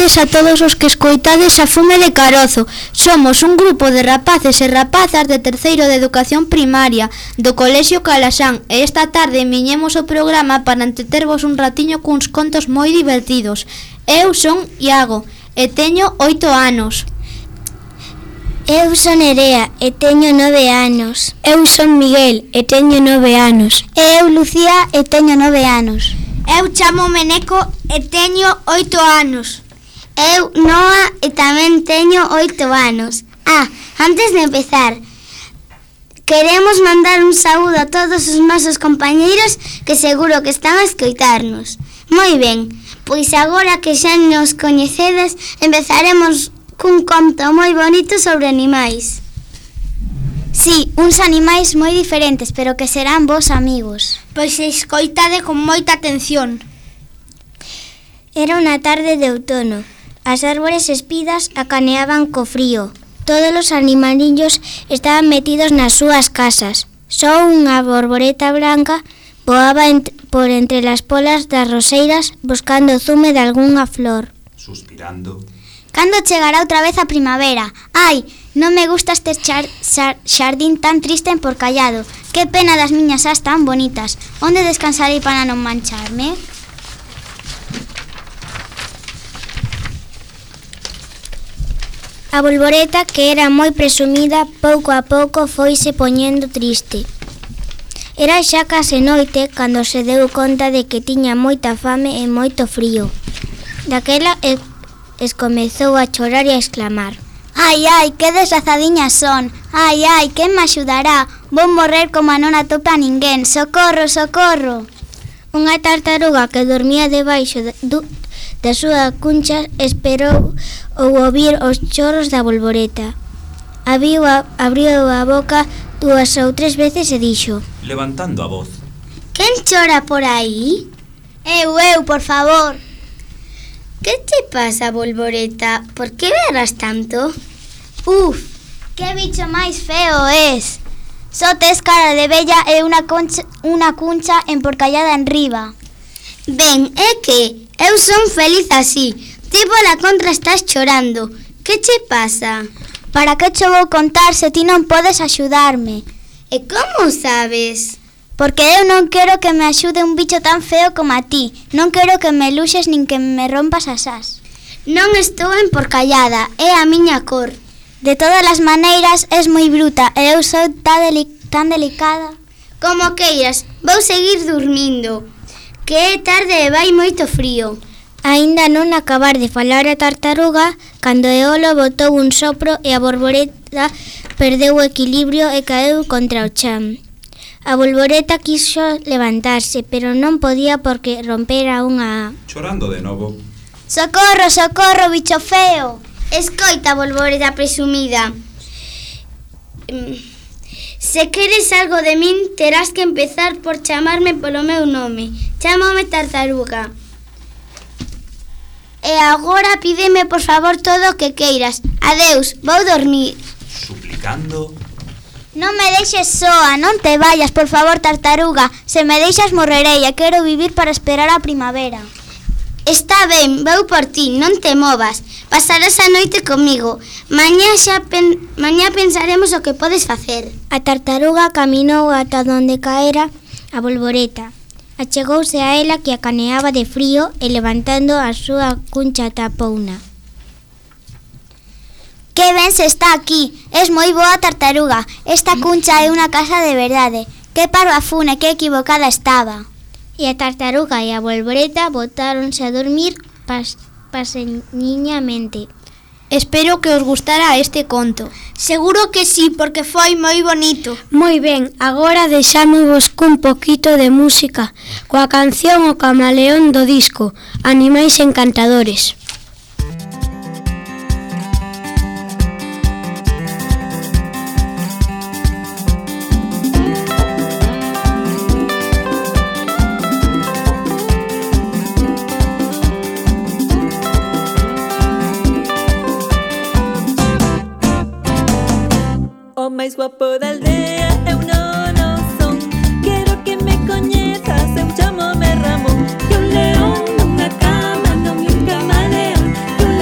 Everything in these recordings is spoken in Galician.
tardes a todos os que escoitades a Fume de Carozo. Somos un grupo de rapaces e rapazas de terceiro de educación primaria do Colexio Calasán e esta tarde viñemos o programa para entretervos un ratiño cuns contos moi divertidos. Eu son Iago e teño 8 anos. Eu son Nerea e teño 9 anos. Eu son Miguel e teño 9 anos. E eu Lucía e teño 9 anos. Eu chamo-me Neco e teño 8 anos. Eu Noa e tamén teño 8 anos. Antes de empezar, queremos mandar un saúdo a todos os nosos compañeiros que seguro que están a escoitarnos. Moi ben, pois agora que xa nos coñecedes, empezaremos cun conto moi bonito sobre animais. Sí, uns animais moi diferentes, pero que serán vos amigos. Pois escoitade con moita atención. Era unha tarde de outono. As árbores espidas acaneaban co frío. Todos os animalillos estaban metidos nas súas casas. Só unha borboreta blanca voaba por entre as polas das roseiras buscando o zume de algunha flor. Suspirando. Cando chegará outra vez a primavera? Ai, non me gusta este xardín tan triste e emporcallado. Que pena das miñas ás tan bonitas. Onde descansarei para non mancharme? A bolboreta, que era moi presumida, pouco a pouco foise poñendo triste. Era xa case noite cando se deu conta de que tiña moita fame e moito frío. Daquela comezou a chorar e a exclamar: Ai, que desazadiñas son. Ai, quen me axudará? Vou morrer como a non atopa a ninguén. Socorro, socorro. Unha tartaruga que dormía debaixo da súa cuncha esperou ou ouvir os choros da bolboreta. Abriu a boca 2 ou 3 veces e dixo, levantando a voz: Quen chora por aí? Eu, por favor. Que te pasa, bolboreta? Por que berras tanto? Que bicho máis feo es. Só tes cara de vella e unha cuncha emporcallada enriba. Ben, é que eu son feliz así. Ti pola contra estás chorando. Que che pasa? Para que cho vou contar se ti non podes axudarme? E como sabes? Porque eu non quero que me axude un bicho tan feo como a ti. Non quero que me luxes nin que me rompas as ás. Non estou emporcallada, é a miña cor. De todas as maneiras, és moi bruta e eu sou tan delicada. Como queiras, vou seguir dormindo, que é tarde e vai moito frío. Aínda non acabar de falar a tartaruga, cando Eolo botou un sopro e a borboreta perdeu o equilibrio e caeu contra o chan. A bolboreta quiso levantarse, pero non podía porque rompera unha... Chorando de novo. Socorro, socorro, bicho feo. Escoita, bolboreta presumida. Se queres algo de min, terás que empezar por chamarme polo meu nome. Chámame tartaruga. E agora pídeme por favor todo o que queiras. Adeus, vou dormir. Suplicando... Non me deixes soa, non te vayas, por favor, tartaruga. Se me deixas morrerei e quero vivir para esperar a primavera. Está ben, vou por ti, non te movas. Pasarás a noite comigo. Mañá pensaremos o que podes facer. A tartaruga caminou ata donde caera a bolboreta. Achegouse a ela que acaneaba de frío e levantando a súa cuncha tapouna. Que ben se está aquí, es moi boa tartaruga. Esta cuncha é unha casa de verdade. Que parvafune, que equivocada estaba. E a tartaruga e a bolboreta botáronse a dormir paseniñamente. Espero que os gustara este conto. Seguro que sí, porque foi moi bonito. Moi ben, agora deixámosvos cun poquito de música, coa canción O Camaleón do disco Animais Encantadores. O máis guapo da aldea eu non son. Quero que me coñezas, eu chamome Ramón. Que un león nunha cama non é un camaleón. Que un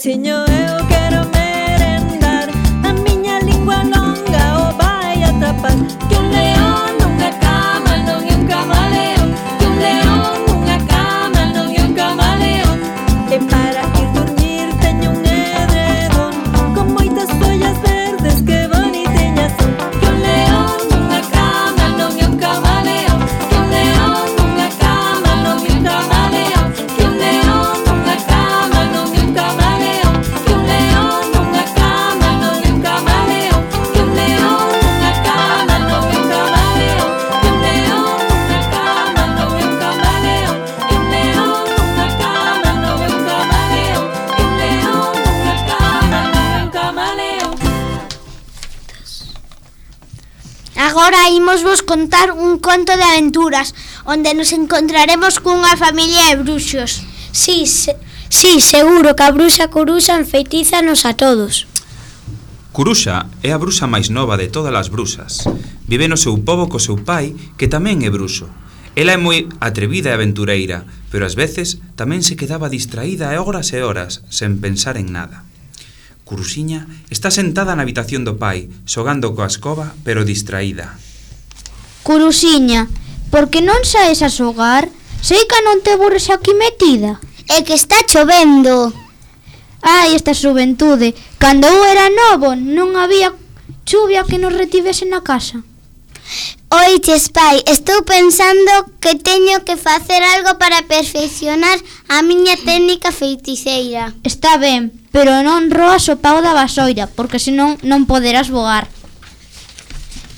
pechiño eu quero merendar. A miña lingua longa o vai atrapar. Que un león nunha cama non é un camaleón. Que un león nunha cama non é un camaleón. E para ir dormir teño un edredón con moitas follas verdes que bonitiñas son. Que un león nunha cama non é un camaleón. Que un león nunha cama non é un camaleón. Que un león nunha cama non é un camaleón. Que un león nunha cama non é un camaleón. Que un león nunha cama non é un camaleón. Que un león nunha cama non é un camaleón. Que un león nunha cama non é un camaleón. Que un león nunha cama non é un camaleón. Agora imos vos contar un conto de aventuras onde nos encontraremos cunha familia de bruxos. Sí, seguro que a bruxa Curuxa enfeitízanos a todos. Curuxa é a bruxa máis nova de todas as bruxas. Vive no seu pobo co seu pai, que tamén é bruxo. Ela é moi atrevida e aventureira, pero ás veces tamén se quedaba distraída e horas, sen pensar en nada. Curuxiña está sentada na habitación do pai, xogando coa escoba, pero distraída. Curuxiña, por que non saes a xogar? Sei que non te aburres aquí metida. É que está chovendo. Ai, esta xuventude. Cando eu era novo non había chuvia que nos retivese na casa. Oiches, pai, estou pensando que teño que facer algo para perfeccionar a miña técnica feiticeira. Está ben, pero non roas o pau da vasoira, porque senón non poderás voar.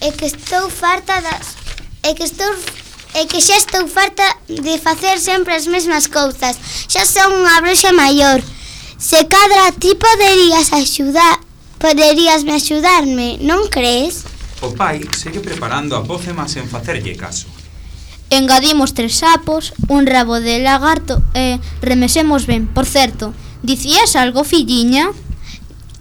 É que estou farta das... É que xa estou farta de facer sempre as mesmas cousas. Xa son unha bruxa maior. Se cadra ti poderíasme axudarme, non crees? O pai segue preparando a pócema sen facerlle caso. Engadimos 3 sapos, un rabo de lagarto e remesemos ben. Por certo, dicías algo, filliña?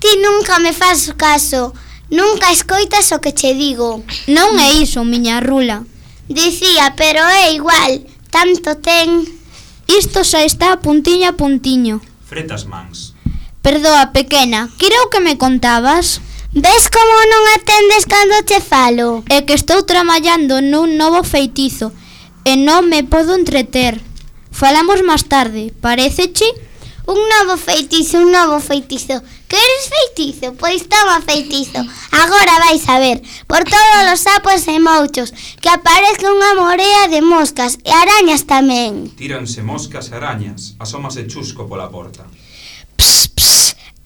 Ti nunca me fas caso. Nunca escoitas o que che digo. Non é iso, miña rula. Dicía, pero é igual. Tanto ten... Isto xa está puntiño a puntiño. Fretas mans. Perdoa, pequena, creo que me contabas? Ves como non atendes cando che falo? É que estou traballando nun novo feitizo e non me podo entreter. Falamos máis tarde, paréceche? Un novo feitizo. Queres feitizo? Pois toma feitizo. Agora vais a ver, por todos os sapos e mouchos, que aparezca unha morea de moscas e arañas tamén. Tíranse moscas e arañas, asómase Chusco pola porta.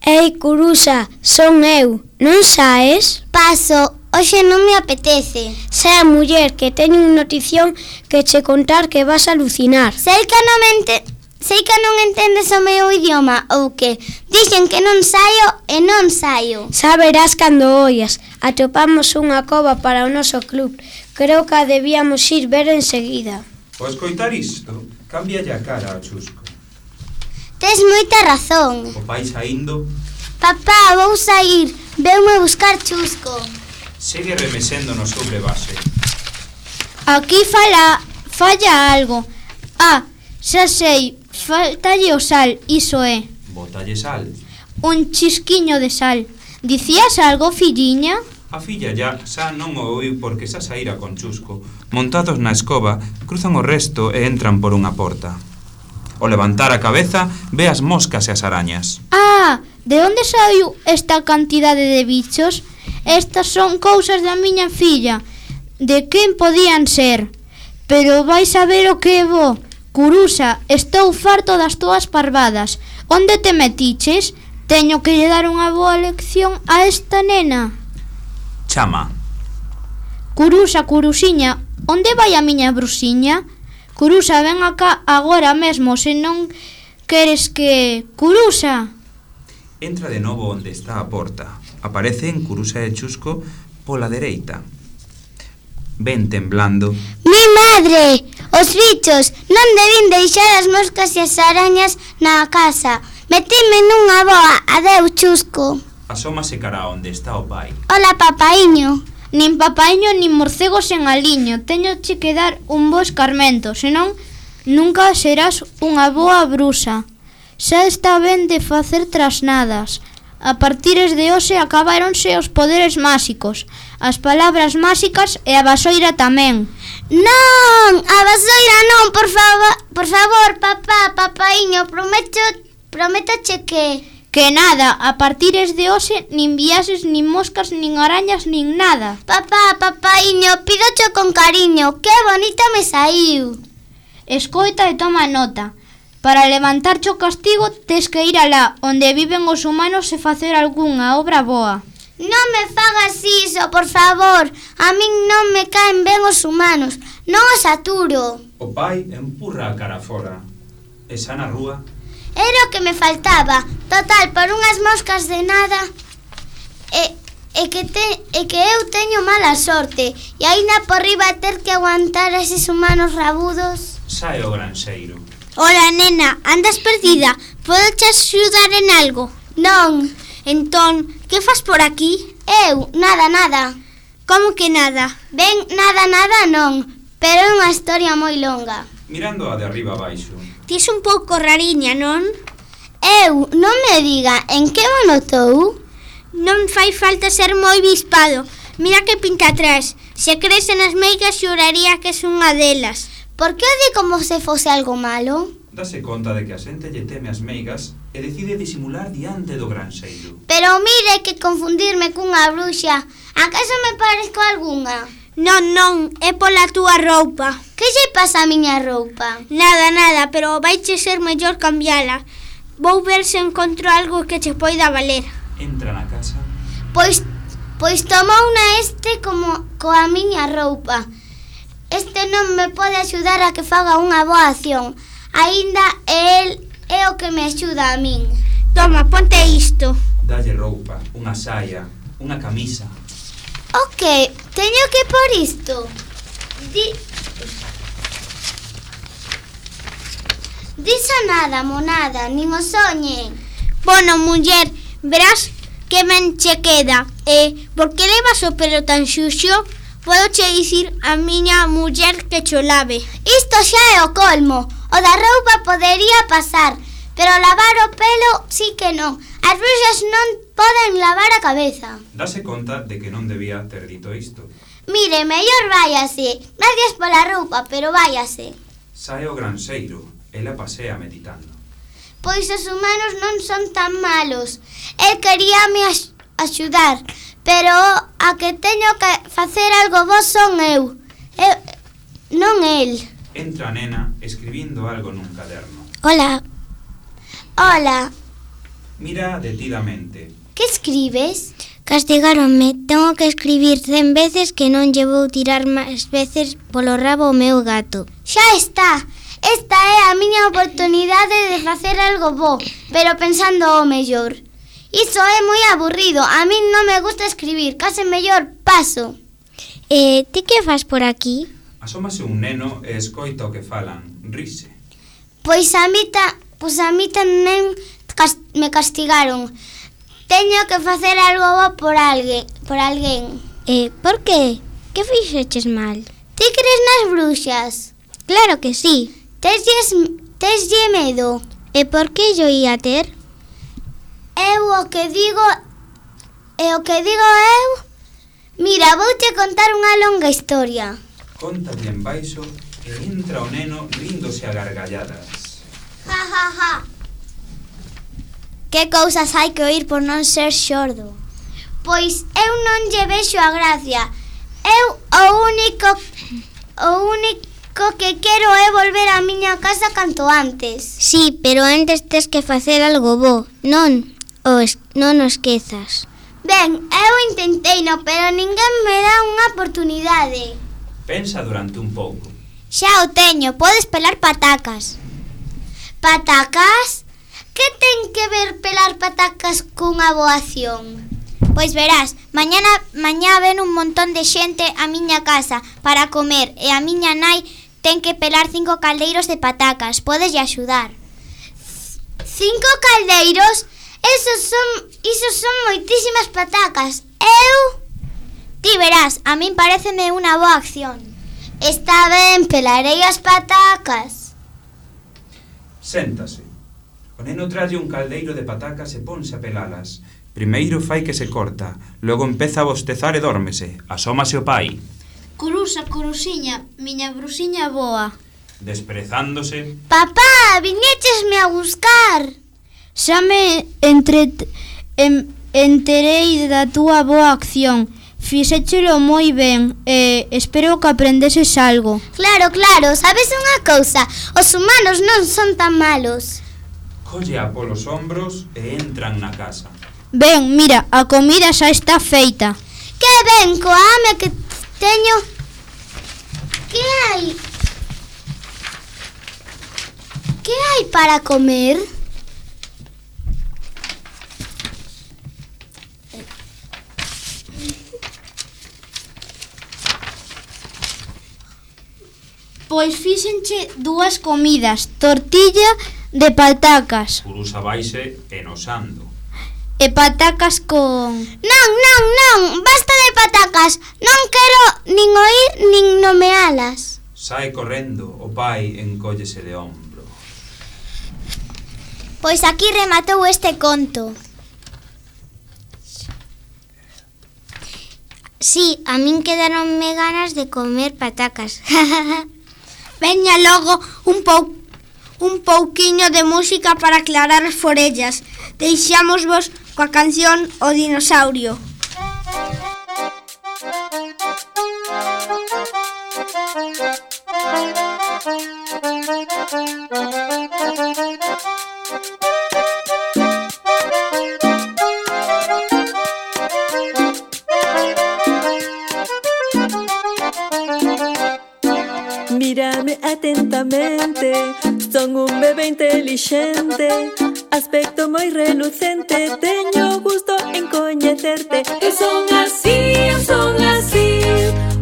Ei, Curuxa, son eu, non saes? Paso, hoxe non me apetece. Sei a muller que teño unha notición que che contar que vas a alucinar. Sei que non entendes o meu idioma, ou que dixen que non saio e non saio. Xa verás cando oias. Atopamos unha cova para o noso club. Creo que a debíamos ir ver enseguida. Ao escoitar isto, cámbialle a cara a Chusco. Tes moita razón. O pai saindo, Papá, vou sair. Veume buscar Chusco. segue remesendo no seu brevaxe. Aquí falla algo. Ah, xa sei, faltalle o sal, iso é. Bótalle sal. Un chisquiño de sal. Dicías algo, filliña? A filla xa non o oiu porque xa saíra con Chusco. Montados na escoba, cruzan o resto e entran por unha porta. Ao levantar a cabeza, ve as moscas e as arañas. Ah, de onde saiu esta cantidade de bichos? Estas son cousas da miña filla. De quen podían ser? Pero vais a ver o que é bo. Curuxa, estou farto das túas parvadas. Onde te metiches? Teño que lle dar unha boa lección a esta nena. Chama. Curuxa, Curuxiña, onde vai a miña bruxiña? Curuxa, ven acá agora mesmo, se non queres que... Curuxa! Entra de novo onde está a porta. Aparecen Curuxa e Chusco pola dereita. Ven temblando. Mi madre! Os bichos! Non debín deixar as moscas e as arañas na casa. Metime nunha boa. Adeu, Chusco. Asómase cara onde está o pai. Hola, papaiño. Nin papaiño nin morcegos en aliño. Teñoche que dar un bo escarmento, senón nunca serás unha boa bruxa. Xa está ben de facer trasnadas. A partires de hoxe acabáronse os poderes máxicos, as palabras máxicas e a vasoira tamén. Non, a vasoira non, por favor, papá, papaíño, prométoche que... Que nada, a partires de hoxe nin viaxes, nin moscas, nin arañas, nin nada. Papá, papaíño, pídocho con cariño, que bonita me saiu. Escoita e toma nota. Para levantarche o castigo, tes que ir alá, onde viven os humanos e facer algunha obra boa. Non me fagas iso, por favor. A min non me caen ben os humanos, non os aturo. O pai empurra a cara fora. E xa na rúa... Era o que me faltaba. Total, por unhas moscas de nada. E que eu teño mala sorte. E aínda por riba ter que aguantar a eses humanos rabudos. Sae o granxeiro. Hola, nena, andas perdida? Podo te axudar en algo? Non. Entón, que fas por aquí? Eu, nada. Como que nada? Ben, nada non. Pero é unha historia moi longa. Mirando a de arriba abaixo. Tis un pouco rariña, non? Eu, non me diga, en que mo notou? Non fai falta ser moi bispado. Mira que pinta atrás. Se crees nas meigas, xuraría que es unha delas. Por que o di como se fose algo malo? Dase conta de que a xente lle teme as meigas e decide disimular diante do granxeiro. Pero mire que confundirme cunha bruxa. Acaso me parezco algunha? Non, é pola túa roupa. Que lle pasa a miña roupa? Nada, pero vaiche ser mellor cambiala. Vou ver se encontro algo que che poida valer. Entra na casa. Pois tomouna como coa miña roupa. Este non me pode axudar a que faga unha boa acción. Aínda el é o que me axuda a min. Toma, ponte isto. Dalle roupa, unha saia, unha camisa. O que? Teño que por isto? Diso nada, monada, nin o soñe. Bueno, muller, verás que ben che queda. Por que levas o pelo tan xuxo? Podo che dicir a miña muller que cho lave. Isto xa é o colmo. O da roupa podería pasar, pero lavar o pelo sí que non. As bruxas non poden lavar a cabeza. Dase conta de que non debía ter dito isto. Mire, mellor váyase. Gracias pola roupa, pero váyase. Sae o granxeiro. Ela pasea meditando. Pois os humanos non son tan malos. El queríame axudar, pero a que teño que facer algo bo son eu non el. Entra a nena escribindo algo nun caderno. Hola. Mira detidamente. Que escribes? Castigáronme. Tengo que escribir 100 veces que non lle vou tirar máis veces polo rabo o meu gato. Xa está. Esta é a miña oportunidade de facer algo bo, pero pensando o mellor. Iso é moi aburrido. A min non me gusta escribir. Case mellor paso. Ti que fas por aquí? Asómase un neno e escoita o que falan. Rise. Pois a mí tamén me castigaron. Teño que facer algo bo por alguén. Por que? Que fixeches mal? Ti crees nas bruxas? Claro que sí. Teslle medo. E por que yo ia ter? O que digo eu. Mira, vouche contar unha longa historia. Conta bien baixo e entra o neno ríndose a gargalladas. Ja. Que cousas hai que oír por non ser xordo? Pois eu non lle vexo a gracia. Eu o único que quero é volver á miña casa canto antes. Sí, pero antes tes que facer algo bo. Non o esquezas. Ben, eu intenteino, pero ninguén me dá unha oportunidade. Pensa durante un pouco. Xa o teño, podes pelar patacas. Patacas? Que ten que ver pelar patacas cunha boa acción? Pois verás, mañá ven un montón de xente á miña casa para comer e a miña nai ten que pelar 5 caldeiros de patacas. Podeslle axudar. 5 caldeiros? Iso son moitísimas patacas. Ti verás, a min pareceme unha boa acción. Está ben, pelarei as patacas. Séntase. O neno tralle un caldeiro de patacas e ponse a pelalas. Primeiro fai que se corta, logo empeza a bostezar e dórmese. Asómase o pai. Curusa, curusiña, miña brusiña boa. Desprezándose. Papá, viñéchesme a buscar. Xa me enterei da túa boa acción. Fixéchelo moi ben e espero que aprendeses algo. Claro, claro, sabes unha cousa? Os humanos non son tan malos. Colle polos ombros e entran na casa. Ben, mira, a comida xa está feita. Que ben, coa hame que teño. Que hai? Que hai para comer? Pois fíxenche dúas comidas, tortilla de patacas Curusa vaise enosando. e patacas con... Non, basta de patacas. Non quero nin oír nin nomealas. Sae correndo, o pai encóllese de ombro. Pois aquí rematou este conto. Sí, a min quedaronme ganas de comer patacas. Veña logo un pouquiño de música para aclarar as forellas. Deixámosvos coa canción O Dinosaurio. Mírame atentamente, son un bebé inteligente, aspecto moi relucente, teño gusto en coñecerte. Eu son así,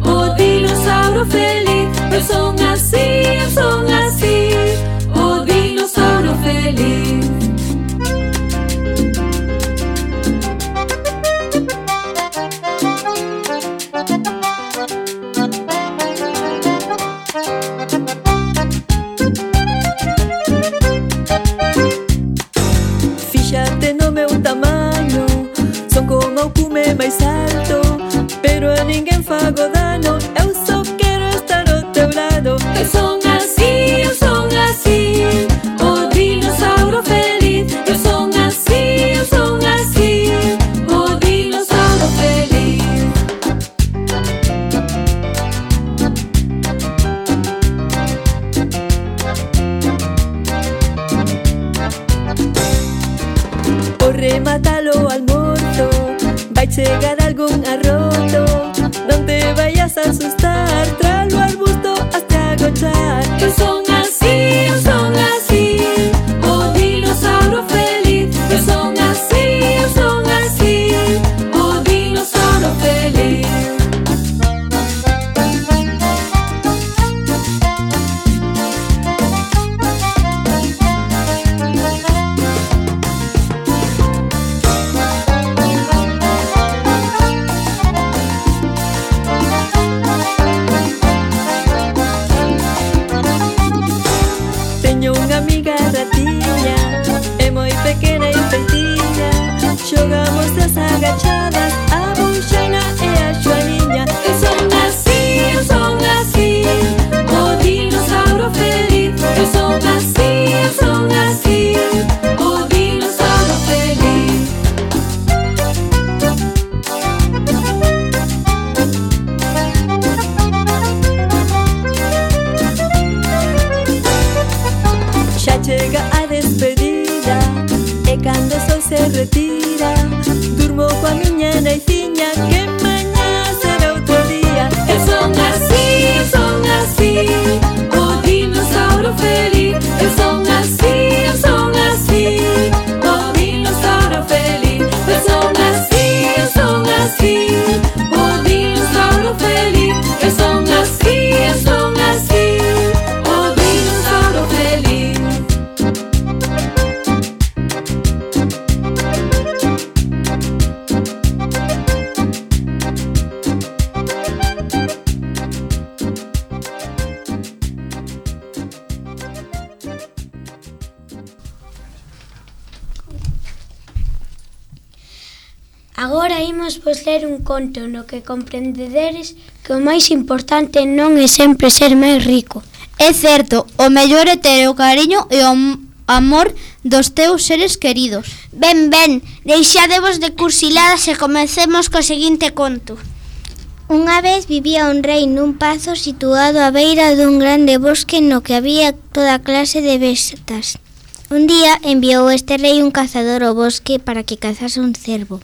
o dinosaurio feliz. Eu son así, o dinosaurio feliz. Fíxate no meu tamaño, son como o cume máis alto, pero a ninguén fago dano, eu só quero estar ao teu lado. Eu son así, o dinosaurio feliz. Eu son así, o dinosaurio feliz. Por rematar o almozo vai chegar algún arroto, non te vayas Agora imos vos ler un conto no que comprendederes que o máis importante non é sempre ser máis rico. É certo, o mellor é ter o cariño e o amor dos teus seres queridos. Ben, deixadevos de cursiladas e comecemos co seguinte conto. Unha vez vivía un rei nun pazo situado á beira dun grande bosque no que había toda clase de bestas. Un día enviou este rei un cazador ao bosque para que cazase un cervo,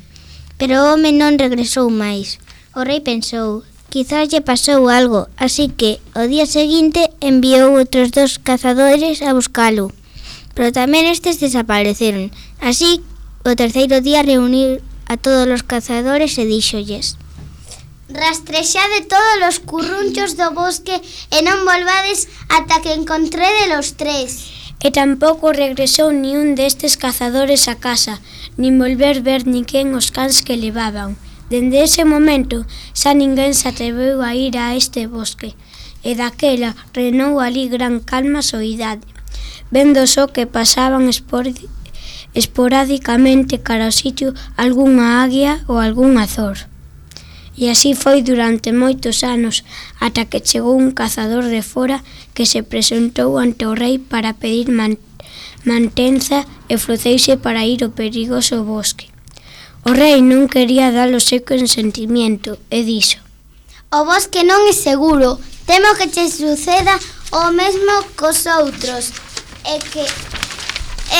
pero o home non regresou máis. O rei pensou, quizás lle pasou algo, así que o día seguinte enviou outros 2 cazadores a buscalo, pero tamén estes desapareceron. Así, o terceiro día reuniu a todos os cazadores e díxolles: rastrexade todos os currunchos do bosque e non volvades ata que encontrede los 3. E tampouco regresou ni un destes cazadores a casa, nin volver ver ninguén os cans que levaban. Dende ese momento, xa ninguén se atreveu a ir a este bosque, e daquela reinou ali gran calma e soidade, vendo só que pasaban esporádicamente cara ao sitio algunha águia ou algún azor. E así foi durante moitos anos, ata que chegou un cazador de fora que se presentou ante o rei para pedir mantenza e ofreceuse para ir ao perigoso bosque. O rei non quería dar o seu consentimiento e dixo: o bosque non é seguro, temo que che suceda o mesmo cos outros e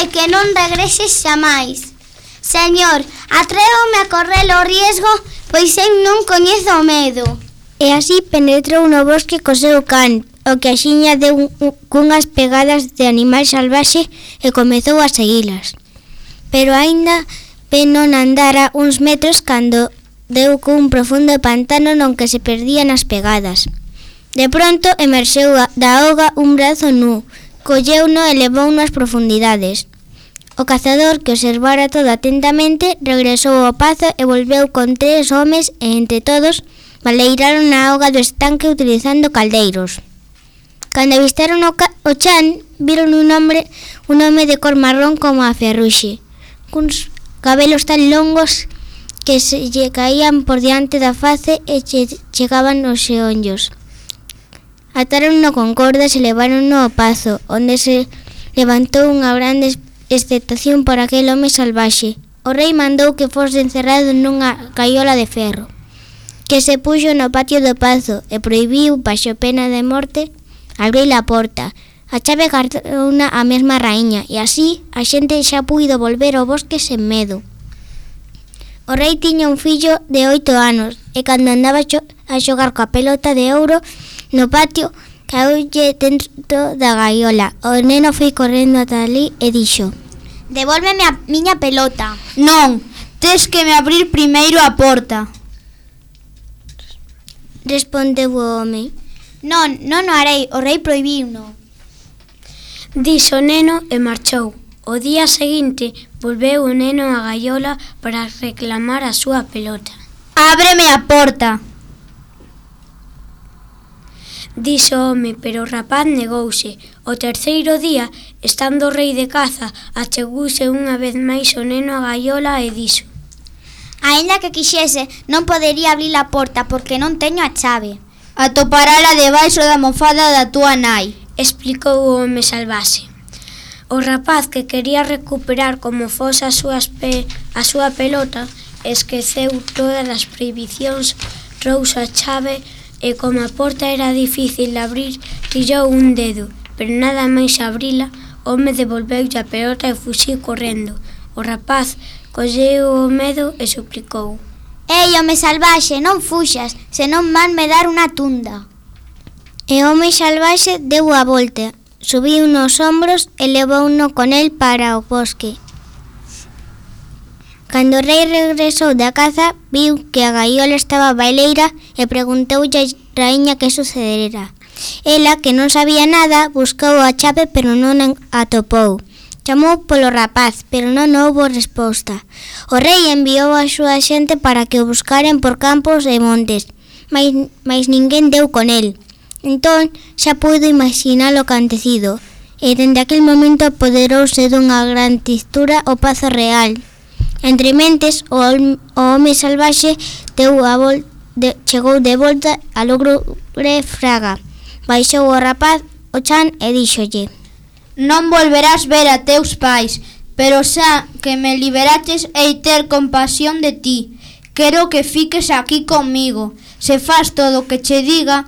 que non regreses xamais. Señor, atrévome a correr o riesgo, pois eu non coñezo o medo. E así penetrou no bosque co seu can, o que axiña deu cunhas pegadas de animal salvaxe e comezou a seguilas. Pero aínda non andara uns metros cando deu cun profundo pantano non que se perdían as pegadas. De pronto emerxeu da auga un brazo nu, colleuno e levouno ás profundidades. O cazador, que observara todo atentamente, regresou ao pazo e volveu con 3 homes e entre todos baleiraron a auga do estanque utilizando caldeiros. Cando avistaron o chan, viron un home de cor marrón como a ferruxe, cuns cabelos tan longos que se lle caían por diante da face e chegaban aos xeonllos. Atáronno con cordas e leváronno ao pazo, onde se levantou unha grande expectación por aquel home salvaxe. O rei mandou que fose encerrado nunha caiola de ferro, que se puxo no patio do pazo e prohibiu, baixo pena de morte, abrir a porta. A chave guardouna a mesma raíña e así a xente xa puido volver ao bosque sen medo. O rei tiña un fillo de 8 anos e cando andaba a xogar coa pelota de ouro no patio, caeulle dentro da gaiola. O neno foi correndo ata ali e dixo: devólveme a miña pelota. Non, tes que me abrir primeiro a porta. Respondeu o home. Non o harei, o rei prohibiuno. Dixo o neno e marchou. O día seguinte volveu o neno á gaiola para reclamar a súa pelota. Ábreme a porta. Dixo o home, pero o rapaz negouse. O terceiro día, estando o rei de caza, achegouse unha vez máis o neno á gaiola e dixo: aínda que quixese, non podería abrir a porta porque non teño a chave. Atoparala debaixo da mofada da túa nai, explicou o home salvaxe. O rapaz, que quería recuperar como fose a súa pelota, esqueceu todas as prohibicións, trouxo a chave e como a porta era difícil de abrir, tirou un dedo, pero nada máis abrila, o home devolveulle a pelota e fuxiu correndo. O rapaz colleu o medo e suplicou: ei, home salvaxe, non fuxas, senón van me dar unha tunda. E o home salvaxe deu a volta, subiu nos ombros e levouno con el para o bosque. Cando o rei regresou da caza, viu que a gaiola estaba baileira e preguntoulle a raíña que sucedera. Ela, que non sabía nada, buscou a chave pero non a atopou. Chamou polo rapaz, pero non houbo resposta. O rei enviou a súa xente para que o buscaren por campos e montes, mas ninguén deu con el. Entón, xa puido imaginar o acontecido, e dende aquel momento apoderouse dunha gran tristura o pazo real. Entre mentes, o home salvaxe chegou de volta a logre fraga. Baixou o rapaz o chan e díxolle: Non volverás ver a teus pais, pero xa que me liberaches hei ter compasión de ti. Quero que fiques aquí comigo. Se fas todo o que che diga,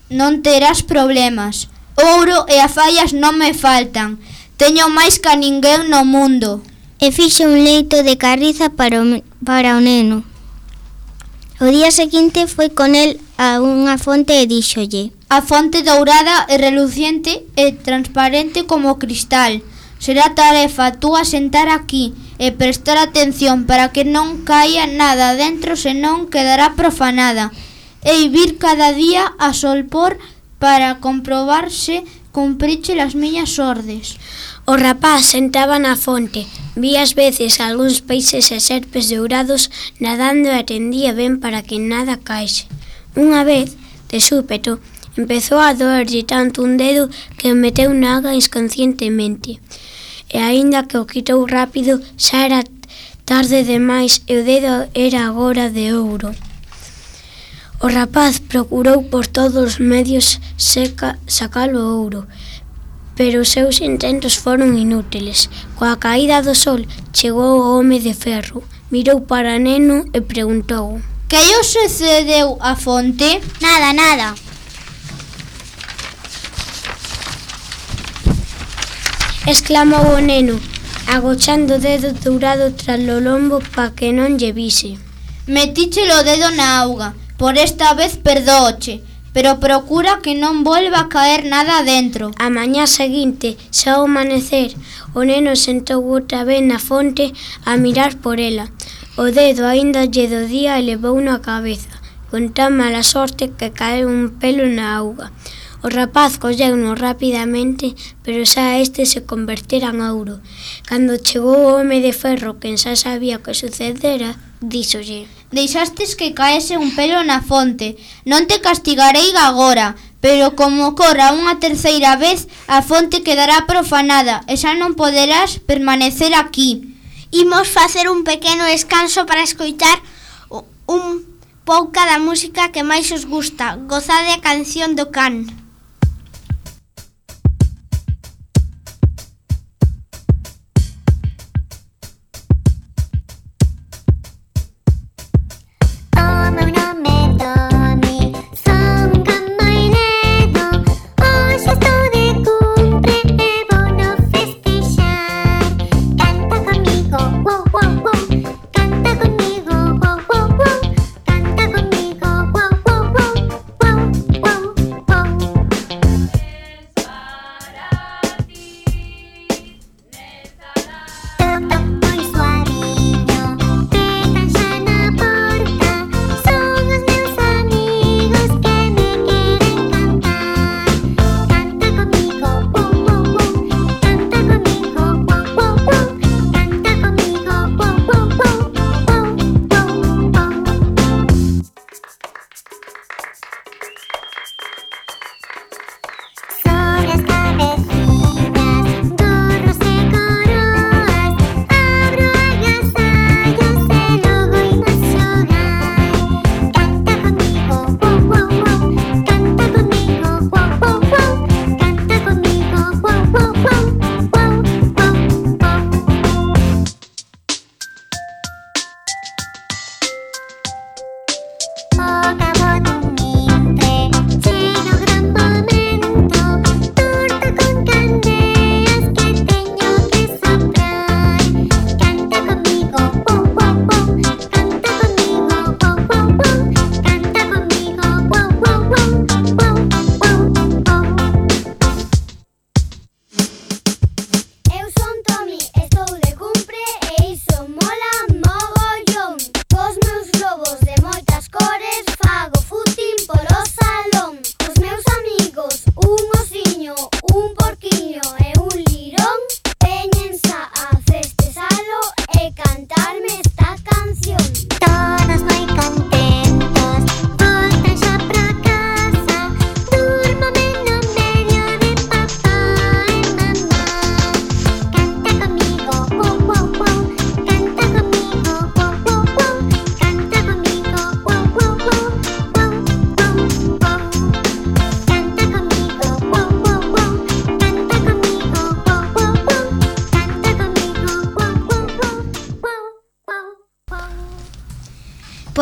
non terás problemas. Ouro e afallas non me faltan. Teño máis ca ninguén no mundo. E fixe un leito de carriza para o neno. O día seguinte foi con el a unha fonte e díxolle: A fonte dourada e reluciente e transparente como cristal. Será tarefa túa sentar aquí e prestar atención para que non caia nada dentro, senón quedará profanada. E vir cada día a solpor para comprobar se cumpriche as miñas ordes. O rapaz sentaba na fonte, vía ás veces algúns peixes e serpes dourados nadando e atendía ben para que nada caese. Unha vez, de súpeto, empezou a doerlle tanto un dedo que o meteu na auga inconscientemente. E aínda que o quitou rápido, xa era tarde demais e o dedo era agora de ouro. O rapaz procurou por todos os medios sacalo o ouro, pero os seus intentos foron inútiles. Coa caída do sol chegou o home de ferro, mirou para o neno e preguntou: Que lle sucedeu á fonte? Nada. Exclamou o neno, agochando o dedo dourado tras o lombo pa que non lle vise. Metíchelo o dedo na auga. Por esta vez perdóoche, pero procura que non volva a caer nada dentro. A mañá seguinte, xa ao amanecer, o neno sentou outra vez na fonte a mirar por ela. O dedo aínda lle do día e levou na cabeza, con tan mala sorte que caeu un pelo na auga. O rapaz colleu-no rapidamente, pero xa este se convertera en ouro. Cando chegou o home de ferro, que xa sabía o que sucedera, díxolle: Deixastes que caese un pelo na fonte. Non te castigarei agora, pero como corra unha terceira vez, a fonte quedará profanada e xa non poderás permanecer aquí. Imos facer un pequeno descanso para escoitar un pouca da música que máis os gusta. Gozade a canción do can. Wow.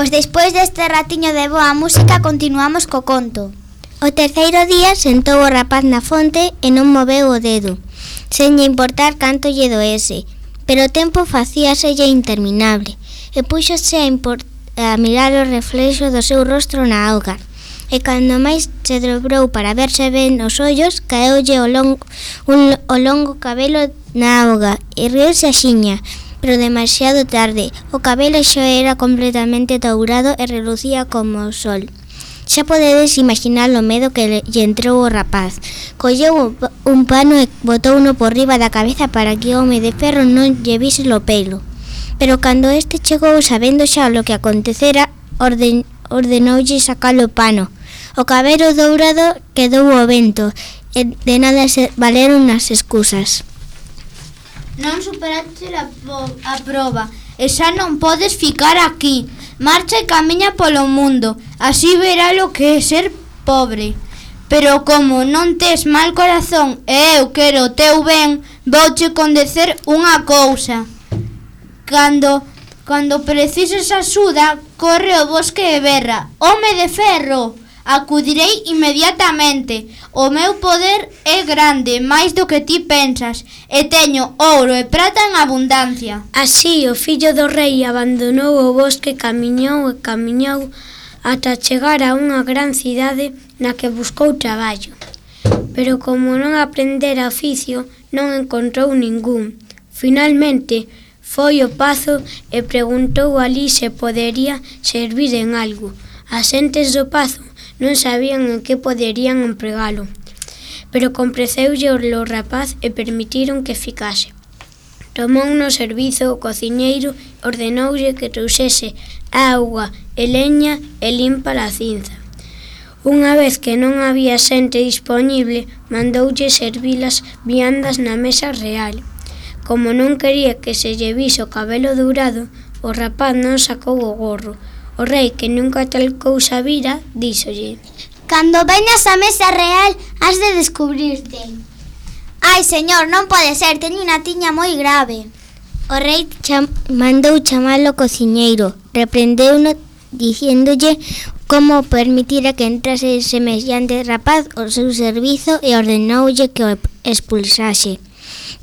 Pois despois deste ratiño de boa música continuamos co conto. O terceiro día sentou o rapaz na fonte e non moveu o dedo, sen lle importar canto lle doese, pero o tempo facíaselle interminable e púxose a mirar o reflexo do seu rostro na auga. E cando máis se dobrou para verse ben os ollos, caeulle o longo cabelo na auga e riose axiña, pero demasiado tarde. O cabelo xa era completamente dourado e relucía como o sol. Xa podedes imaginar o medo que lle entrou o rapaz. Colleu un pano e botouno por riba da cabeza para que o home de ferro non lle vise o pelo. Pero cando este chegou sabendo xa lo que acontecera, ordenoulle sacar o pano. O cabelo dourado quedou ao vento e de nada se valeron as excusas. Non superaste a proba e xa non podes ficar aquí. Marcha e camiña polo mundo, así verá lo que é ser pobre. Pero como non tes mal corazón e eu quero o teu ben, vouche condecer unha cousa. Cando precises axuda, corre ao bosque e berra: home de ferro! Acudirei inmediatamente. O meu poder é grande, máis do que ti pensas, e teño ouro e prata en abundancia. Así, o fillo do rei abandonou o bosque, camiñou ata chegar a unha gran cidade na que buscou traballo. Pero como non aprendera oficio, non encontrou ningún. Finalmente, foi ao pazo e preguntou alí se podería servir en algo. As xentes do pazo non sabían en que poderían empregalo, pero compraveulle o rapaz e permitiron que ficase. Tomou no servizo o cociñeiro e ordenoulle que trouxese auga e leña e limpa a cinza. Unha vez que non había xente dispoñible, mandoulle servilas viandas na mesa real. Como non quería que se lle vise o cabelo dourado, o rapaz non sacou o gorro. O rei, que nunca tal cousa vira, díxolle: Cando veñas á mesa real, has de descubrirte. Ai, señor, non pode ser, teño unha tiña moi grave. O rei mandou chamar o cociñeiro, reprendeuno diciéndolle como permitira que entrase semellante rapaz ao seu servizo e ordenoulle que o expulsase.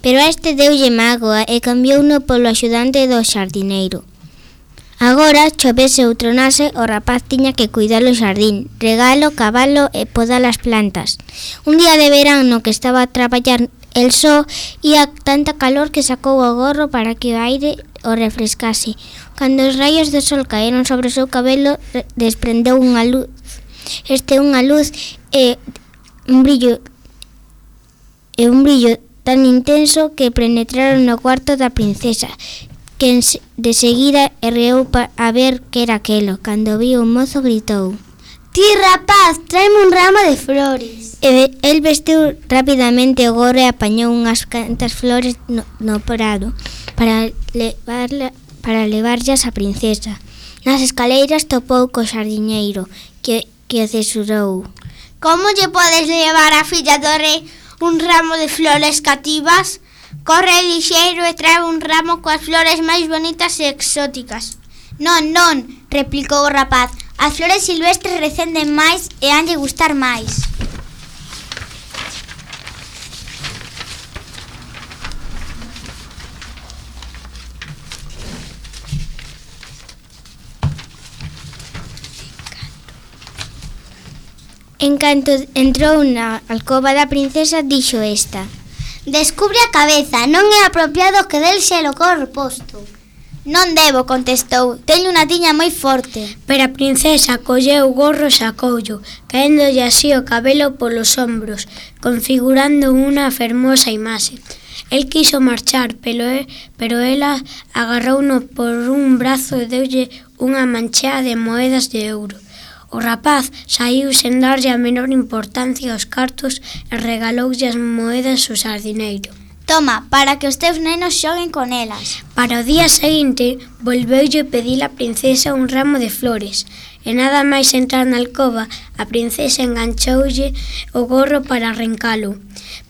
Pero este deulle mágoa e cambiouno polo axudante do xardineiro. Agora, chovese ou tronase, o rapaz tiña que cuidar o xardín, regalo, cabalo e podar as plantas. Un día de verán no que estaba a traballar el só, ía tanta calor que sacou o gorro para que o aire o refrescase. Cando os raios do sol caeron sobre o seu cabelo, desprendeu unha luz. Unha luz e un brillo tan intenso que penetraron no cuarto da princesa, que de seguida erreou a ver que era aquelo. Cando viu o mozo gritou: Ti, rapaz, tráeme un ramo de flores. El vestiu rapidamente o gorro e apañou unhas cantas flores no prado para levarllas á princesa. Nas escaleiras topou co xardiñeiro, que o cesurou. Como lle podes levar a filla do rei un ramo de flores cativas? Corre lixeiro e trae un ramo coas flores máis bonitas e exóticas. Non, replicou o rapaz. As flores silvestres recenden máis e hanlle gustar máis. En canto entrou na alcoba da princesa, dixo esta: Descubre a cabeza, non é apropiado que del xe lo corro posto. Non debo, contestou, teño unha tiña moi forte. Pero a princesa colleu o gorro e sacoullo, caéndolle así o cabelo polos ombros, configurando unha fermosa imaxe. El quiso marchar, pero ela agarrouno por un brazo e deulle unha manchea de moedas de ouro. O rapaz saiu sen darlle a menor importancia aos cartos e regaloulle as moedas ao xardineiro. Toma, para que os teus nenos xoguen con elas. Para o día seguinte, volveulle pedir a princesa un ramo de flores, e nada máis entrar na alcoba, a princesa enganchoulle o gorro para arrancalo,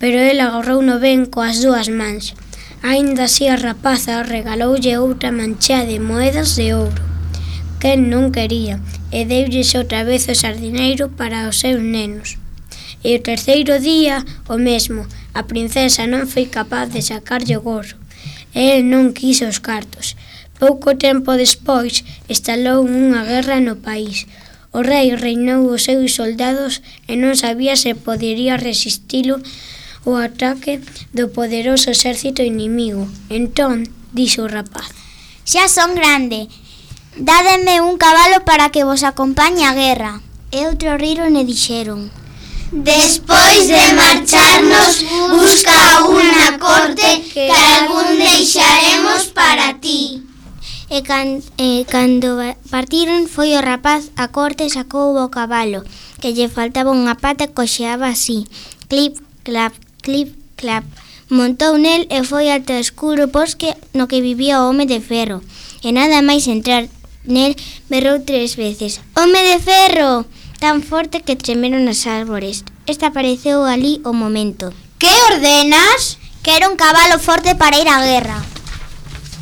pero el agarrouno ben coas dúas mans. Aínda así a rapaza regaloulle outra manchea de moedas de ouro. quen non quería, e deulles outra vez o sardineiro para os seus nenos. E o terceiro día, o mesmo, a princesa non foi capaz de sacarlle o gorro, e el non quiso os cartos. Pouco tempo despois, estalou unha guerra no país. O rei reinou os seus soldados e non sabía se podería resistilo o ataque do poderoso exército inimigo. Entón, dixo o rapaz: Xa son grande, dádeme un cabalo para que vos acompañe á guerra. E outro riron e dixeron: Despois de marcharnos, busca unha corte que algún deixaremos para ti. E cando partiron foi o rapaz a corte e sacou o cabalo, que lle faltaba unha pata e coxeaba así. Clip, clap, clip, clap. Montou nel e foi ata o escuro bosque no que vivía o home de ferro. E nada máis entrar nel berrou 3 veces: Home de ferro! Tan forte que tremeron as árbores. Esta apareceu ali o momento. Que ordenas? Quero un cabalo forte para ir á guerra.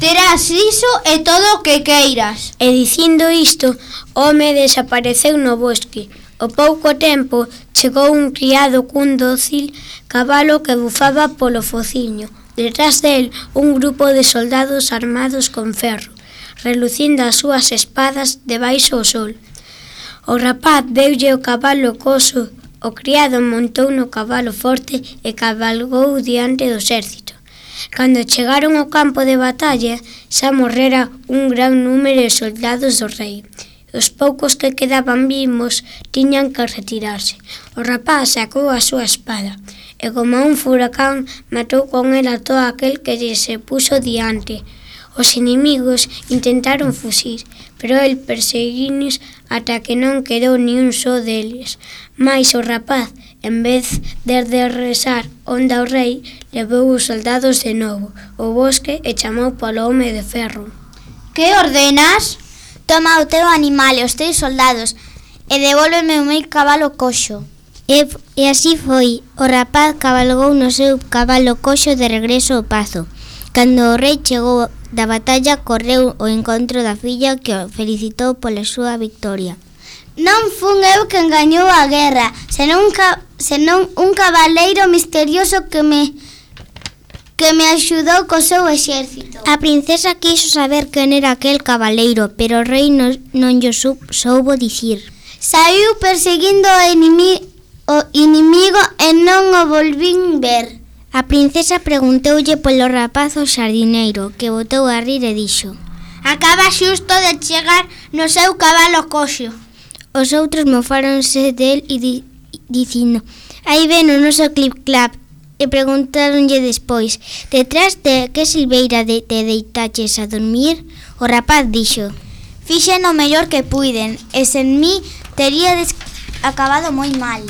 Terás iso e todo o que queiras. E dicindo isto, o home desapareceu no bosque. Ao pouco tempo, chegou un criado cun dócil cabalo que bufaba polo fociño. Detrás del, un grupo de soldados armados con ferro, relucindo as súas espadas debaixo o sol. O rapaz deulle o cabalo coso, o criado montou no cabalo forte e cabalgou diante do exército. Cando chegaron ao campo de batalla, xa morrera un gran número de soldados do rei. Os poucos que quedaban vivos tiñan que retirarse. O rapaz sacou a súa espada e, como un furacán, matou con ela todo aquel que lle se puxo diante. Os inimigos intentaron fuxir, pero el perseguinos ata que non quedou ni un só deles. Mais o rapaz, en vez de rezar onde ao rei, levou os soldados de novo ao bosque e chamou polo home de ferro. Que ordenas? Toma o teu animal e os teus soldados e devólveme o meu cabalo coxo. E así foi. O rapaz cabalgou no seu cabalo coxo de regreso ao pazo. Cando o rei chegou da batalla, correu ao encontro da filla que o felicitou pola súa victoria. Non fun eu quen gañou a guerra, senón un cabaleiro misterioso que me axudou co seu exército. A princesa quiso saber quen era aquel cabaleiro, pero o rei non llo soubo dicir. Saiu perseguindo o inimigo e non o volvín ver. A princesa preguntoulle polo rapaz ao sardineiro, que botou a rir e dixo: Acaba xusto de chegar no seu cabalo coxo. Os outros mofáronse del e dicindo: Aí ven o noso clip-clap. E preguntáronlle despois: Detrás de que silveira te deitaches a dormir? O rapaz dixo: Fixen o mellor que puiden, e sen mí teríades acabado moi mal.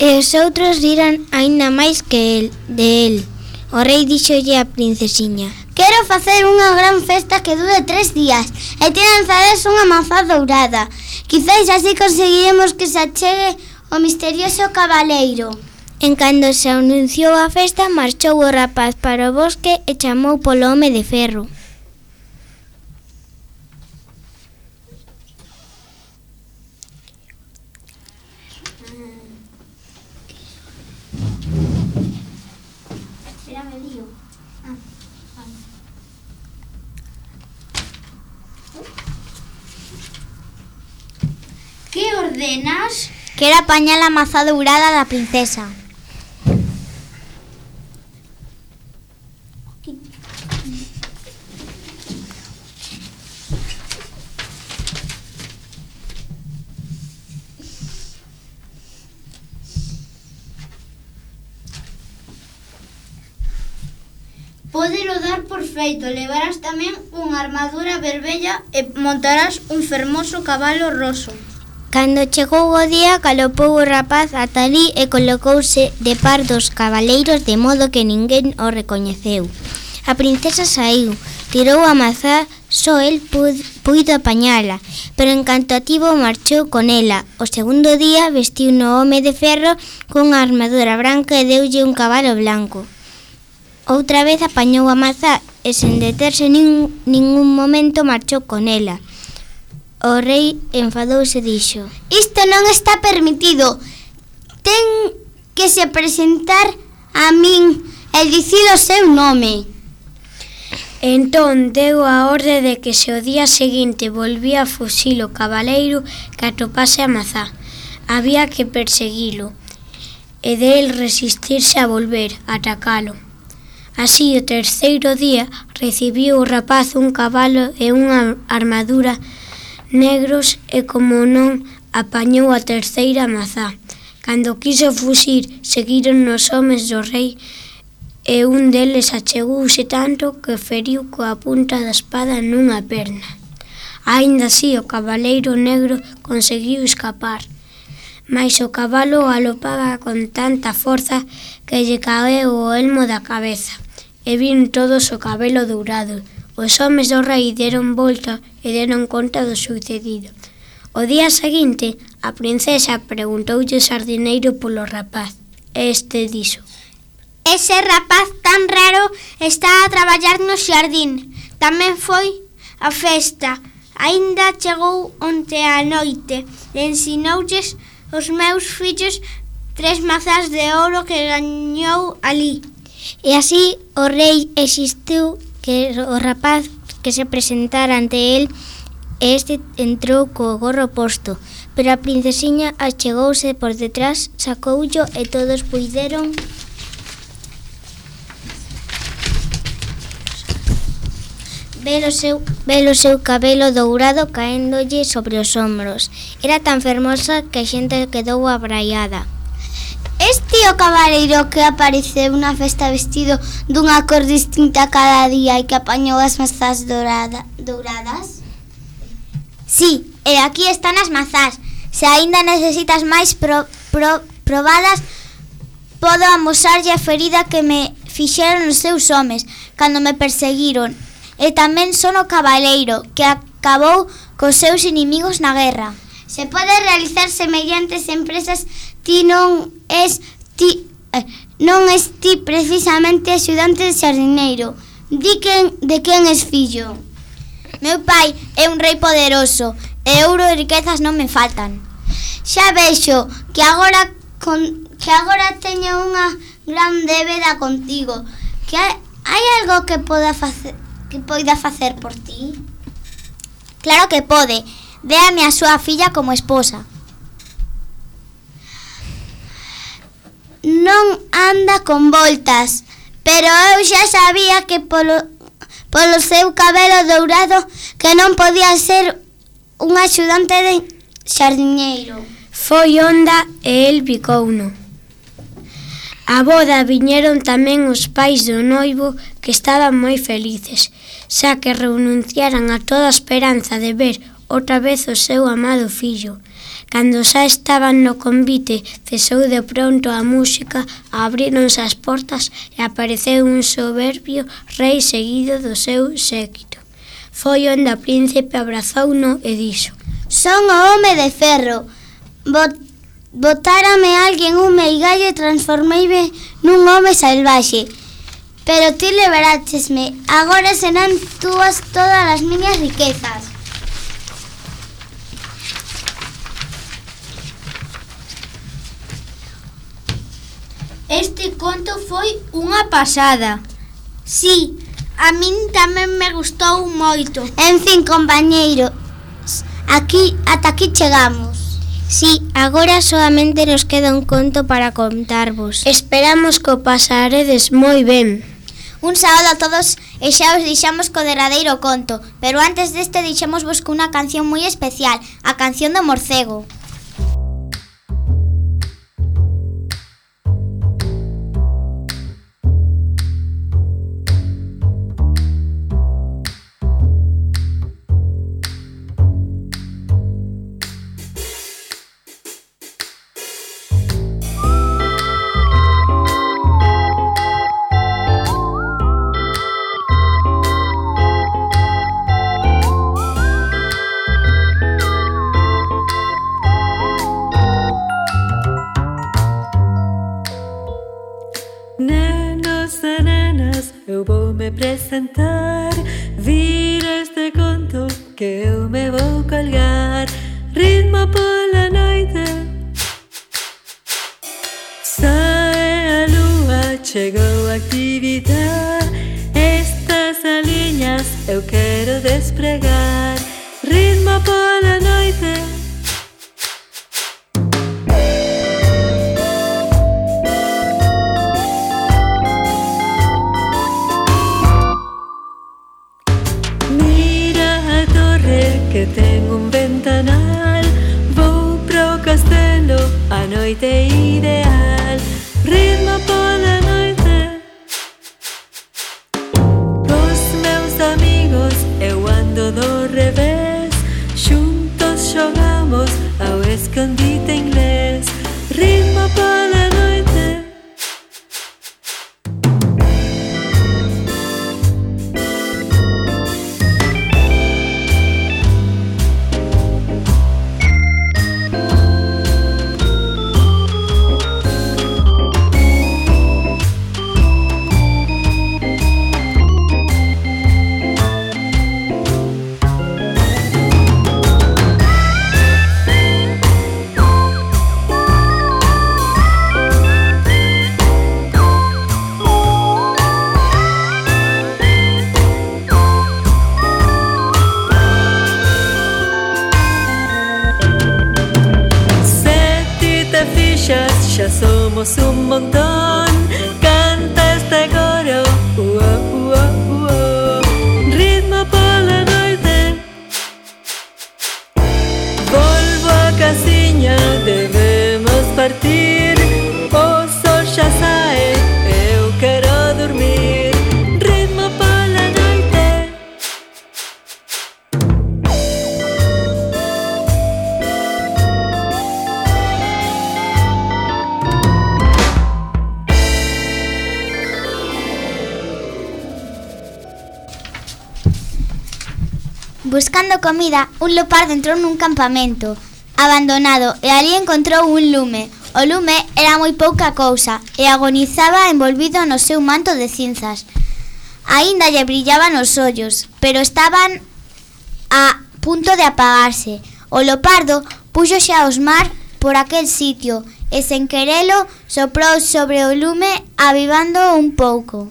E os outros riran aínda máis que de el. O rei díxolle á princesiña: Quero facer unha gran festa que dure 3 días e te lanzades unha mazá dourada. Quizais así conseguiremos que se achegue o misterioso cabaleiro. En cando se anunciou a festa, marchou o rapaz para o bosque e chamou polo home de ferro. Que ordenas? Quero apañar a mazá dourada da princesa. Pódelo dar por feito, levarás tamén unha armadura verbella e montarás un fermoso cabalo roso. Cando chegou o día, galopou o rapaz ata alí e colocouse de par dos cabaleiros de modo que ninguén o recoñeceu. A princesa saiu, tirou a mazá, só el puido apañala, pero en canto a tivo marchou con ela. O segundo día vestiu no home de ferro cunha armadura branca e deulle un cabalo blanco. Outra vez apañou a mazá e sen deterse ningún momento marchou con ela. O rei enfadouse e dixo: Isto non está permitido. Ten que se presentar a min e dicir o seu nome. Entón deu a orde de que se o día seguinte volvía a fuxir o cabaleiro que atopase a mazá. Había que perseguilo e del resistirse a volver a atacalo. Así, o terceiro día recibiu o rapaz un cabalo e unha armadura negros e como non apañou a terceira mazá. Cando quiso fuxir, seguiron os homes do rei e un deles achegouse tanto que feriu coa punta da espada nunha perna. Aínda así, o cabaleiro negro conseguiu escapar, mais o cabalo galopaba con tanta forza que lle caeu o elmo da cabeza e vin todos o cabelo dourado. Os homes do rei deron volta e deron conta do sucedido. O día seguinte, a princesa preguntoulle o sardineiro polo rapaz. Este dixo: Ese rapaz tan raro está a traballar no xardín. Tamén foi a festa. Aínda chegou onte á noite e ensinoulles os meus fillos 3 mazás de ouro que gañou ali. E así o rei existiu que o rapaz que se presentara ante el e este entrou co gorro posto, pero a princesiña achegouse por detrás, sacoullo e todos puideron ver o seu cabelo dourado caéndolle sobre os ombros. Era tan fermosa que a xente quedou abraiada. Este o cabaleiro que apareceu na festa vestido dunha cor distinta cada día e que apañou as mazás douradas? Sí, e aquí están as mazás. Se aínda necesitas máis probadas, podo amosarlle a ferida que me fixeron os seus homes cando me perseguiron. E tamén son o cabaleiro que acabou cos seus inimigos na guerra. Se pode realizar semellantes empresas, ti non es ti precisamente axudante de xardineiro. Di de quen es fillo. Meu pai é un rei poderoso e ouro e riquezas non me faltan. Xa vexo que agora teño unha gran débeda contigo. Que hai algo que poida facer por ti? Claro que pode. Déame a súa filla como esposa. Non anda con voltas, pero eu xa sabía que polo seu cabelo dourado que non podía ser un axudante de xardineiro. Foi onda e el bicouno. A boda viñeron tamén os pais do noivo que estaban moi felices, xa que renunciaran a toda esperanza de ver outra vez o seu amado fillo. Cando xa estaban no convite, cesou de pronto a música, abríronse as portas e apareceu un soberbio rei seguido do seu séquito. Foi onde o príncipe abrazouno e dixo: Son o home de ferro. Botárame alguén un meigallo e transformeime nun home salvaxe. Pero ti liberáchesme. Agora serán túas todas as miñas riquezas. Este conto foi unha pasada. Sí, a min tamén me gustou moito. En fin, compañeiro, ata aquí chegamos. Sí, agora solamente nos queda un conto para contarvos. Esperamos que o pasaredes moi ben. Un saúdo a todos e xa os deixamos co derradeiro conto, pero antes deste deixámosvos cunha canción moi especial, a canción do morcego. Vira este conto que eu me vou colgar. Ritmo pola noite, sae a lúa, chegou a actividade. Estas aliñas eu quero despregar. Ritmo pola noite. Que ten un ventanal, vou pro castelo, a noite ideal. Ritmo pola noite. Cos meus amigos eu ando do revés, xuntos xogamos ao escondite inglés. Ritmo pola noite. Xa somos un montón. Canta este coro, ritmo pola noite. Volvo a casiña, debemos partir. O sol xa sae, eu quero dormir. Ritmo pola noite. Buscando comida, un leopardo entrou nun campamento abandonado e ali encontrou un lume. O lume era moi pouca cousa e agonizaba envolvido no seu manto de cinzas. Aínda lle brillaban os ollos, pero estaban a punto de apagarse. O leopardo púxose a osmar por aquel sitio e sen querelo soprou sobre o lume avivando un pouco.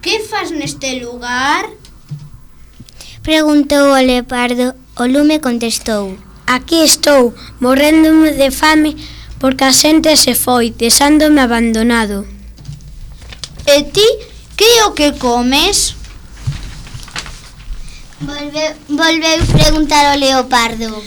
Que fas neste lugar? Preguntou o leopardo. O lume contestou: Aquí estou, morréndome de fame porque a xente se foi, deixándome abandonado. E ti, que é o que comes? Volveu preguntar o leopardo.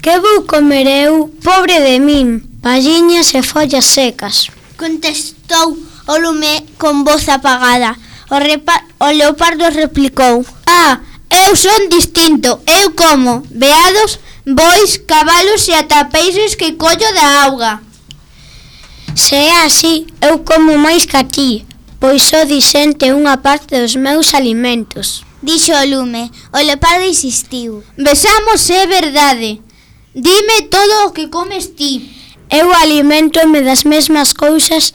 Que vou comer eu, pobre de min, palliñas e follas secas? Contestou o lume con voz apagada. O leopardo replicou: eu son distinto, eu como veados, bois, cabalos e ata peixes que collo da auga. Se é así, eu como máis que a ti, pois só dixente unha parte dos meus alimentos. Dixo o lume. O leopardo insistiu: Besamos, é verdade. Dime todo o que comes ti. Eu alimentome das mesmas cousas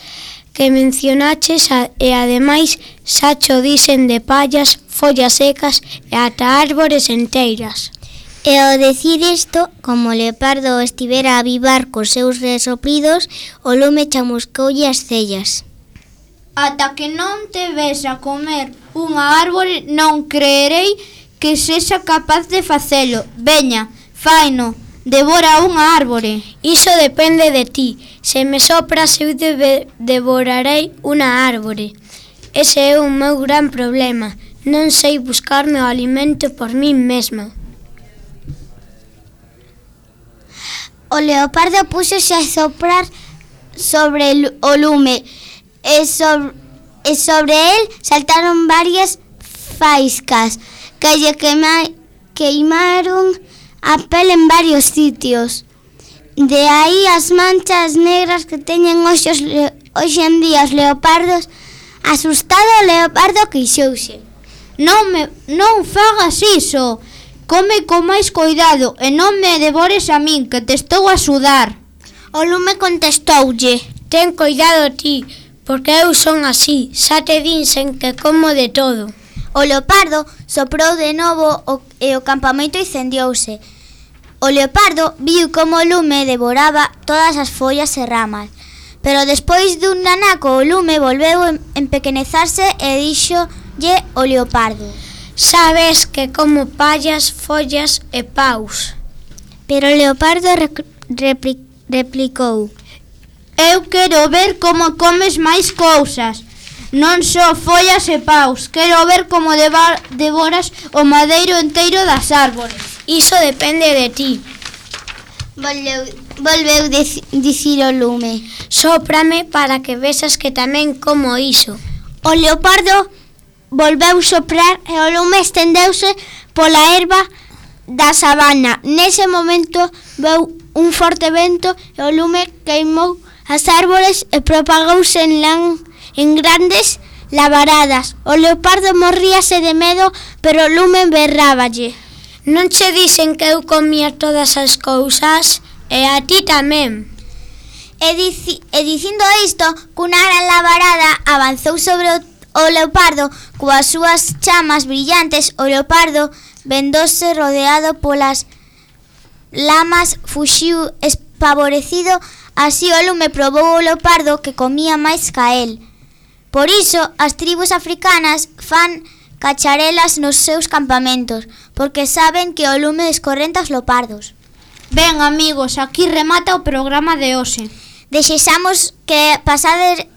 que mencionaches e ademais xa cho dixen de pallas, follas secas e ata árbores enteiras. E ao decir isto, como o leopardo estivera a avivar cos seus resoplidos, o lume chamuscoulle as cellas. Ata que non te ves a comer unha árbore, non creerei que sexa capaz de facelo. Veña, faino, devora unha árbore. Iso depende de ti. Se me sopras, eu devorarei unha árbore. Ese é o meu gran problema. Non sei buscarme o alimento por min mesma. O leopardo púxose a soprar sobre o lume e sobre el saltaron varias faiscas que lle queimaron a pele en varios sitios. De aí as manchas negras que teñen hoxe en día os leopardos. Asustado, o leopardo queixouse. Non fagas iso. Come con máis cuidado e non me devores a min, que te estou a sudar. O lume contestoulle: Ten cuidado ti, Porque eu son así, xa te dinsen que como de todo. O leopardo soprou de novo e o campamento incendiouse. O leopardo viu como o lume devoraba todas as follas e ramas, pero despois dun nanaco o lume volveu empequenezarse e díxolle o leopardo: Sabes que como pallas, follas e paus. Pero o leopardo replicou: Eu quero ver como comes máis cousas, non só follas e paus. Quero ver como devoras o madeiro enteiro das árbores. Iso depende de ti. Volveu dicir o lume. Sóprame para que vexas que tamén como iso. O leopardo volveu soprar e o lume estendeuse pola erva da sabana. Nese momento veu un forte vento e o lume queimou as árbores e propagouse en grandes labaradas. O leopardo morríase de medo, pero o lume berráballe: Non che dicen que eu comía todas as cousas? E a ti tamén. E dicindo isto, cunha gran labarada avanzou sobre o leopardo coas súas chamas brillantes. O leopardo, vendose rodeado polas lamas, fuxiu espavorecido. Así o lume probou o leopardo que comía máis ca el. Por iso, as tribus africanas fan cacharelas nos seus campamentos, porque saben que o lume descorrenta os leopardos. Ben, amigos, aquí remata o programa de hoxe. Desexamos que pasarades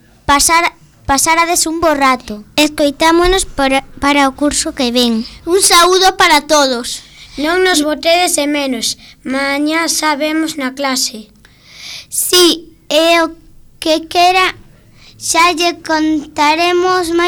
un bo rato. Escoitámonos para o curso que ven. Un saúdo para todos. Non nos botedes de menos. Mañá sabemos na clase. Si, é o que quera, xa lle contaremos máis